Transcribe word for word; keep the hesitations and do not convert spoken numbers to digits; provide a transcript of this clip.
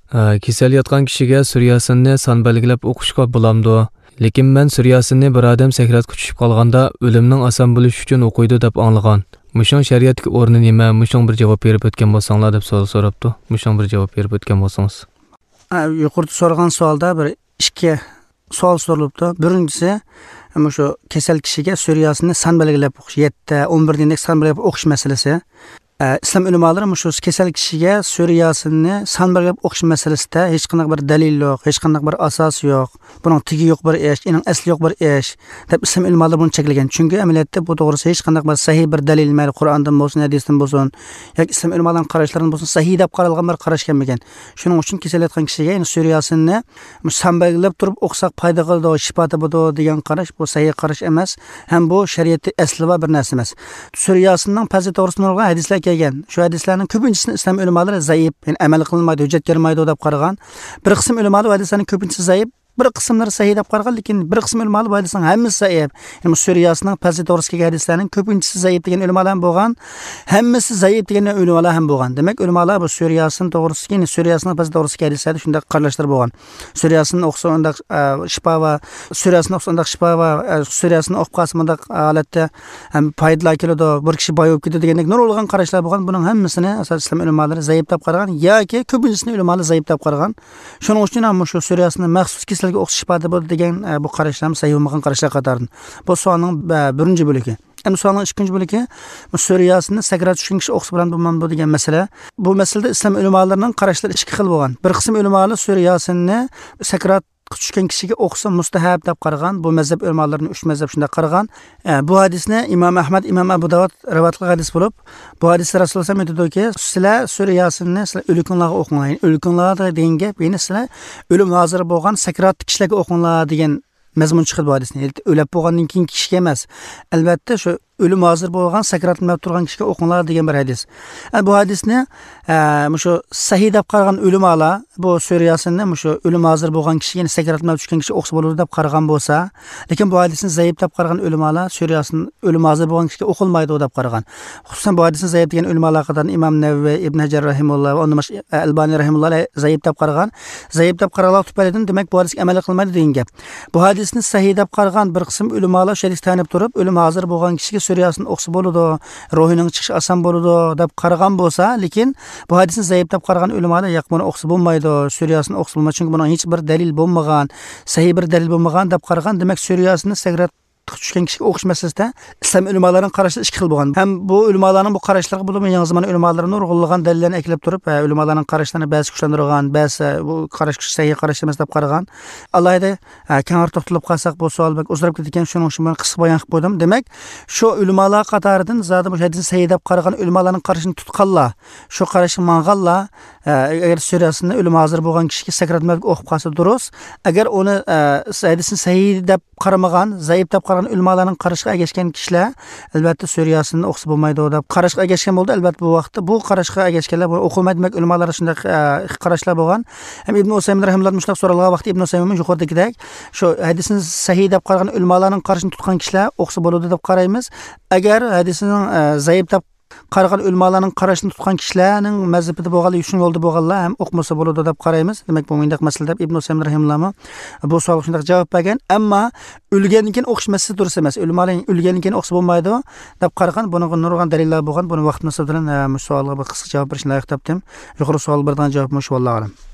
ئە، كېسەل ياتقان كىشىگە سۈرە ياسىننى سان بەلگىلەپ ئوقۇشقا بولامدۇ؟ لېكىن مەن سۈرە ياسىننى بىر ئادەم سەكراتقا چۈشۈپ قالغاندا ئۆلۈمنىڭ ئاسان بولۇشى ئۈچۈن ئوقۇيدۇ دەپ ئاڭلىغان. مۇشۇنىڭ شەرىئەتتىكى ئورنى نېمە؟ مۇشۇنىڭغا بىر جاۋاب بېرىپ ئۆتكەن بولساڭلار دەپ سوئال سوراپتۇ. مۇشۇنىڭغا بىر جاۋاب بېرىپ ئۆتكەن بولسىڭىز. ئە، يۇقىرىدا سورىغان سوئالدا بىر ئىككى سوئال سورىلىپتۇ. بىرىنچىسى، مۇشۇ كېسەل كىشىگە سۈرە ياسىننى سان بەلگىلەپ ئوقۇش، يەتتە، ئون بىر دېگەندەك سان بەلگىلەپ ئوقۇش مەسىلىسى. ئە، ئىسلام ئۆلىمالىرى مۇشۇ كېسەل كىشىگە سۈرە ياسىننى سان بەلگىلەپ ئوقۇش مەسىلىسىدە ھېچقانداق بىر دەلىل يوق، ھېچقانداق بىر ئاساس يوق، بۇنىڭ تېگى يوق بىر ئىش، ئېنىڭ ئەسلى يوق بىر ئىش، دەپ ئىسلام ئۆلىمالىرى بۇنى چەكلىگەن. چۈنكى ئەمەلىيەتتە بۇ توغرىسىدا ھېچقانداق بىر سەھىھ بىر دەلىل، مەيلى قۇرئاندىن بولسۇن، ھەدىستىن بولسۇن، ياكى ئىسلام ئۆلىمالىرىنىڭ قاراشلىرىدىن بولسۇن، سەھىھ دەپ قارالغان بىر قاراش كەلمىگەن. شۇنىڭ ئۈچۈن كېسەل ياتقان كىشىگە، يەنى سۈرە ياسىننى سان بەلگىلەپ تۇرۇپ ئوقۇساق پايدا قىلىدۇ، شىپا تاپىدۇ دېگەن قاراش، بۇ سەھىھ قاراش ئەمەس، ھەم بۇ شەرىئەتتە ئەسلى بار بىر نەرسە ئەمەس. سۈرە ياسىننىڭ پەزىلىتى توغرىسىدا نۇرغۇن ھەدىسلەر كەلگەن. شۇ ھەدىسلەرنىڭ كۆپىنچىسىنى ئىسلام ئۆلىمالىرى زەئىپ، يەنى ئەمەل قىلىنمايدۇ، ھۆججەتكە يارىمايدۇ دەپ قارىغان. بىر قىسىم ئۆلىمالار بۇ ھەدىسلەرنىڭ كۆپىنچىسى زەئىپ، بىر قىسىملىرى سەھىھ دەپ قارىغان، لېكىن بىر قىسىم ئۆلىمالار بۇ ھەدىسنىڭ ھەممىسى زەئىپ. يەنى بۇ سۈرە ياسىننىڭ پەزىلىتى توغرىسىدا كەلگەن ھەدىسلەرنىڭ كۆپىنچىسى زەئىپ دېگەن ئۆلىمالار ھەم بولغان، ھەممىسى زەئىپ دېگەن ئۆلىمالار ھەم بولغان. دېمەك، ئۆلىمالار بۇ سۈرە ياسىن توغرىسىدىكى، يەنى سۈرە ياسىننىڭ پەزىلىتى توغرىسىدىكى ھەدىسلەردە شۇنداق قاراشلار بولغان. سۈرە ياسىن ئوقۇسا ئۇنداق، ئە، شىپا بار، سۈرە ياسىن ئوقۇسا ئۇنداق شىپا بار، ئە، سۈرە ياسىن ئوقۇپ قالسا مۇنداق ھالەتتە ھەم پايدىلار كېلىدۇ، بىر كىشى باي بولۇپ كېتىدۇ دېگەندەك نۇرغۇنلىغان قاراشلار بولغان. بۇنىڭ ھەممىسىنى ئاساسەن ئىسلام ئۆلىمالىرى زەئىپ دەپ قارىغان ياكى كۆپىنچىسىنى ئۆلىمالار زەئىپ دەپ قارىغان. شۇنىڭ ئۈچۈن ھەم مۇشۇ سۈرە ياسىننى مەخسۇس كېسەلگە ئوقۇسا شىپا بولىدۇ دېگەن، ئە، بۇ قاراشلارمۇ سەھىھ بولمىغان قاراشلار قاتارىدىن. بۇ سوئالنىڭ، ئە، بىرىنچى بۆلىكى. ئەمدى سوئالنىڭ ئىككىنچى بۆلىكى، بۇ سۈرە ياسىننى سەكرات چۈشكەن كىشى ئوقۇسا بولامدۇ، بولمامدۇ دېگەن مەسىلە. بۇ مەسىلىدە ئىسلام ئۆلىمالىرىنىڭ قاراشلىرى ئىككى خىل بولغان. بىر قىسىم ئۆلىمالار سۈرە ياسىننى سەكراتقا چۈشكەن كىشىگە ئوقۇسا مۇستەھەب دەپ قارىغان، بۇ مەزھەپ ئۆلىمالىرىنىڭ ئۈچ مەزھەپ شۇنداق قارىغان. ئە، بۇ ھەدىسنى ئىمام ئەھمەد، ئىمام ئەبۇ داۋۇد رىۋايەت قىلغان ھەدىس بولۇپ، بۇ ھەدىستە رەسۇلۇللاھ ئېيتىدۇكى، سىلەر سۈرە ياسىننى سىلەر ئۆلۈكۈڭلارغا ئوقۇڭلار. يەنى ئۆلۈكۈڭلار دېگەن گەپ، يەنى سىلەر ئۆلۈم ھازىر بولغان سەكراتلىق كىشىلەرگە ئوقۇڭلار دېگەن مەزمۇن چىقىدۇ بۇ ھەدىستىن. ئۆلۈپ بولغاندىن كېيىنكى كىشىگە ئەمەس. ئەلۋەتتە، شۇ ئۆلۈم ھازىر بولغان، سەكراتلىنىپ تۇرغان كىشىگە ئوقۇڭلار دېگەن بىر ھەدىس. ئە، بۇ ھەدىسنى، ئە، مۇشۇ سەھىھ دەپ قارىغان ئۆلىمالار، بۇ سۈرە ياسىننى مۇشۇ ئۆلۈم ھازىر بولغان كىشى، يەنى سەكراتلىنىپ چۈشكەن كىشى ئوقۇسا بولىدۇ دەپ قارىغان بولسا، لېكىن بۇ ھەدىسنى زەئىپ دەپ قارىغان ئۆلىمالار سۈرە ياسىن ئۆلۈم ھازىر بولغان كىشىگە ئوقۇلمايدۇ دەپ قارىغان. خۇسۇسەن بۇ ھەدىسنى زەئىپ دېگەن ئۆلىمالار قاتارىدا ئىمام نەۋەۋى، ئىبن ھەجەر رەھىمۇللا ۋە ئۇندىن باشقا ئەلبانى رەھىمۇللا زەئىپ دەپ قارىغان. زەئىپ دەپ قارىغانلار تۈپەيلىدىن، دېمەك، بۇ ھەدىسكە ئەمەل قىلمايدۇ دېگەن گەپ. بۇ ھەدىسنى سەھىھ دەپ قارىغان بىر قىسىم ئۆلىمالار شۇ ھەدىسكە تايىنىپ تۇرۇپ، ئۆلۈم ھازىر بولغان كىشىگە سۈرە ياسىن ئوقۇسا بولىدۇ، روھىنىڭ چىقىشى ئاسان بولىدۇ دەپ قارىغان بولسا، لېكىن بۇ ھەدىسنى زەئىپ دەپ قارىغان ئۆلىمالار ياق، بۇنى ئوقۇسا بولمايدۇ، سۈرە ياسىن ئوقۇسا بولمايدۇ، چۈنكى بۇنىڭ ھېچ بىر دەلىل بولمىغان، سەھىھ بىر دەلىل بولمىغان دەپ قارىغان. دېمەك، سۈرە ياسىننى سەكرات چۈشكەن كىشىگە ئوقۇش مەسىلىسىدە ئىسلام ئۆلىمالىرىنىڭ قاراشلىرى ئىككى خىل بولغان. ھەم بۇ ئۆلىمالارنىڭ بۇ قاراشلىرىغا بولۇپمۇ يېڭى زامان ئۆلىمالىرى نۇرغۇنلىغان دەلىللەرنى ئەكېلىپ تۇرۇپ، ھە، ئۆلىمالارنىڭ قاراشلىرىنى بەزى كۈچلەندۈرگەن، بەزى، ھە، بۇ قاراش سەھىھ قاراش ئەمەس دەپ قارىغان. ئالاھىدە، ھە، كەڭرى توختىلىپ قالساق، بۇ سوئال بەك ئۇزىراپ كېتىدىكەن، شۇنىڭ ئۈچۈن مەن قىسقا بايان قىلىپ قويدۇم. دېمەك، شۇ ئۆلىمالار قاتارىدىن زادى بۇ ھەدىسنى سەھىھ دەپ قارىغان ئۆلىمالارنىڭ قارىشىنى تۇتقانلار، شۇ قاراشقا ماڭغانلار، ئە، ئەگەر سۈرە ياسىننى ئۆلۈم ھازىر بولغان كىشىگە سەكرات مەلىكى ئوقۇپ قالسا دۇرۇس. ئەگەر ئۇنى، ئە، ھەدىسنى سەھىھ دەپ قارىمىغان، زەئىپ دەپ قارىغان ئۆلىمالارنىڭ قارىشىغا ئەگەشكەن كىشىلەر، ئەلۋەتتە، سۈرە ياسىننى ئوقۇسا بولمايدۇ دەپ قاراشقا ئەگەشكەن بولىدۇ. ئەلۋەتتە، بۇ ۋاقىتتا بۇ قاراشقا ئەگەشكەنلەر بۇ ئوقۇلمايدۇ، دېمەك، ئۆلىمالاردا شۇنداق، ئە، قاراشلار بولغان. ھەم ئىبن ئۇسەيمىن رەھىمۇللاھ مۇشۇنداق سورالغان ۋاقىتتا ئىبن ئۇسەيمىن يۇقىرىدىكىدەك، شۇ ھەدىسنى سەھىھ دەپ قارىغان ئۆلىمالارنىڭ قارىشىنى تۇتقان كىشىلەر ئوقۇسا بولىدۇ دەپ قارايمىز. ئەگەر ھەدىسنىڭ، ئە، زەئىپ دەپ قارىغان ئۆلىمالارنىڭ قارىشىنى تۇتقان كىشىلەرنىڭ مەزھىپىدە بولغانلار، شۇ يولدا بولغانلار ھەم ئوقۇمىسا بولىدۇ دەپ قارايمىز. دېمەك، بۇ مۇنداق مەسىلە دەپ ئىبن ئۇسەيمىن رەھىمۇللاھمۇ بۇ سوئالغا شۇنداق جاۋاب بەرگەن. ئەمما ئۆلگەندىن كېيىن ئوقۇش مەسىلىسى دۇرۇس ئەمەس. ئۆلىمالار ئۆلگەندىن كېيىن ئوقۇسا بولمايدۇ دەپ قارىغان، بۇنىڭغا نۇرغۇن دەلىللەر بولغان. بۇنى ۋاقىت مۇناسىۋىتى بىلەن، ئە، مۇشۇ سوئالغا بىر قىسقا جاۋاب بېرىشنى لايىق تاپتىم. يۇقىرى سوئالغا بېرىدىغان جاۋابىم مۇشۇ، ۋاللاھۇ ئەلەم.